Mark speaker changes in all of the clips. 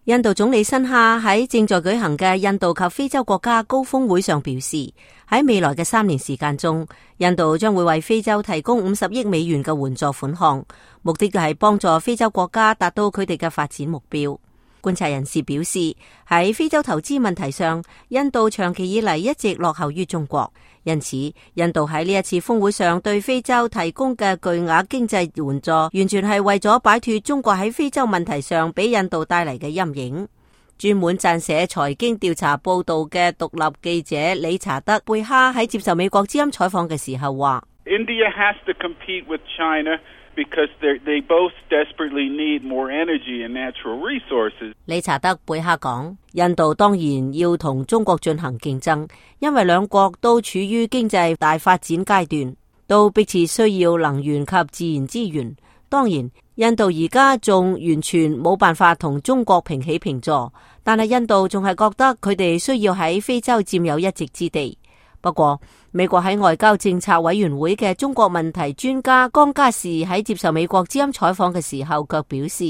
Speaker 1: 印度總理辛哈喺正在舉行嘅印度及非洲國家高峰會上表示，喺未來嘅3年時間中，印度將會為非洲提供50億美元嘅援助款項，目的就係幫助非洲國家達到佢哋嘅發展目標。觀察人士表示，喺非洲投資問題上，印度長期以嚟一直落後於中國，因此印度喺呢一次峰會上對非洲提供嘅巨額經濟援助，完全係為咗擺脫中國喺非洲問題上俾印度帶嚟嘅陰影。專門撰寫財經調查報道嘅獨立記者理查德·貝哈喺接受美國之音採訪嘅時候話
Speaker 2: ：India has to compete with China。Because they both desperately need more energy and natural resources.
Speaker 1: 理查德·貝哈講，印度當然要同中國進行競爭，因為兩國都處於經濟大發展階段，都迫切需要能源及自然資源。當然，印度而家仲完全冇辦法同中國平起平坐，但係印度仲係覺得佢哋需要喺非洲佔有一席之地。不過，美國喺外交政策委員會嘅中國問題專家江嘉士喺接受美國之音採訪嘅時候，卻表示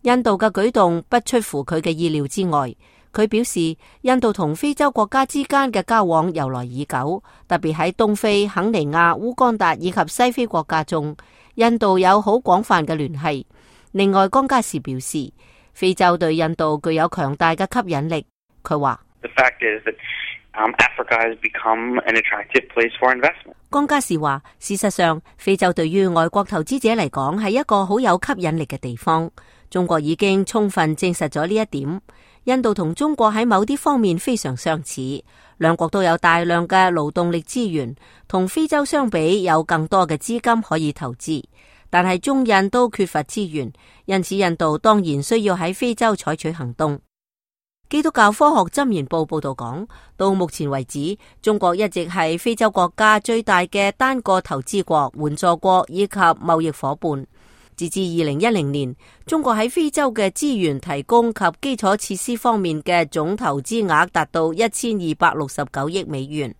Speaker 1: 印度嘅舉動不出乎佢嘅意料之外。佢表示，印度同非洲國家之間嘅交往由來已久，特別喺東非、肯尼亞、烏干達以及西非國家中，印度有好廣泛嘅聯繫。另外，江嘉士表示，非洲對印度具有強大嘅吸引力。佢話
Speaker 3: Africa has become an attractive place for investment.
Speaker 1: 江嘉士話，事實上，非洲對於外國投資者嚟講係一個好有吸引力嘅地方。中國已經充分證實咗呢一點。印度同中國喺某啲方面非常相似，兩國都有大量嘅勞動力資源，同非洲相比有更多嘅資金可以投資。但係中印都缺乏資源，因此印度當然需要喺非洲採取行動。基督教科學箴言報報道講，到目前為止，中國一直係非洲國家最大嘅單個投資國、援助國以及貿易夥伴。截至2010年，中國喺非洲嘅資源提供及基礎設施方面嘅總投資額達到1269億美元。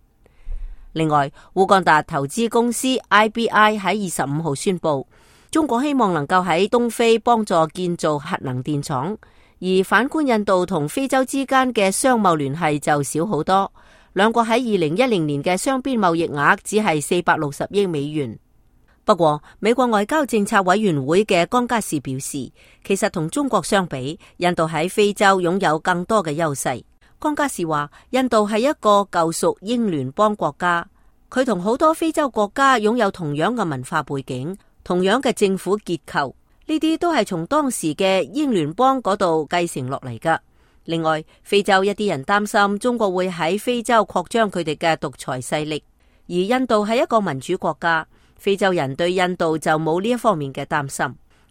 Speaker 1: 另外，烏干達投資公司 IBI 喺25號宣布，中國希望能夠喺東非幫助建造核能電廠。而反觀印度同非洲之間嘅商貿聯繫就少好多，兩國喺2010年嘅雙邊貿易額只係460億美元。不過，美國外交政策委員會嘅江嘉士表示，其實同中國相比，印度喺非洲擁有更多嘅優勢。江嘉士話，印度係一個舊屬英聯邦國家，佢同好多非洲國家擁有同樣嘅文化背景，同樣嘅政府結構。呢啲都係從當時嘅英聯邦嗰度繼承落嚟㗎。另外，非洲一啲人擔心中國會喺非洲擴張佢哋嘅獨裁勢力，而印度係一個民主國家，非洲人對印度就冇呢一方面嘅擔心。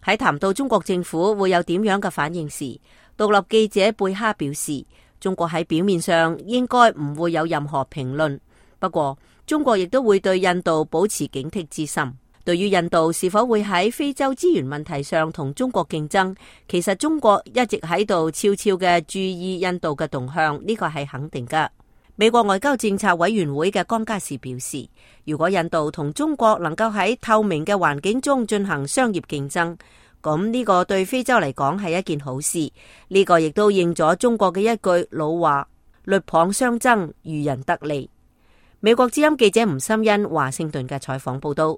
Speaker 1: 喺談到中國政府會有點樣嘅反應時，獨立記者貝哈表示，中國喺表面上應該唔會有任何評論，不過中國亦都會對印度保持警惕之心。對於印度是否會喺非洲資源問題上同中國競爭，其實中國一直喺度悄悄嘅注意印度嘅動向，呢個係肯定㗎。美國外交政策委員會嘅江嘉士表示，如果印度同中國能夠喺透明嘅環境中進行商業競爭，咁呢個對非洲嚟講係一件好事。呢個亦都應咗中國嘅一句老話：鷸蚌相爭，漁人得利。美國之音記者吳心欣華盛頓嘅採訪報道。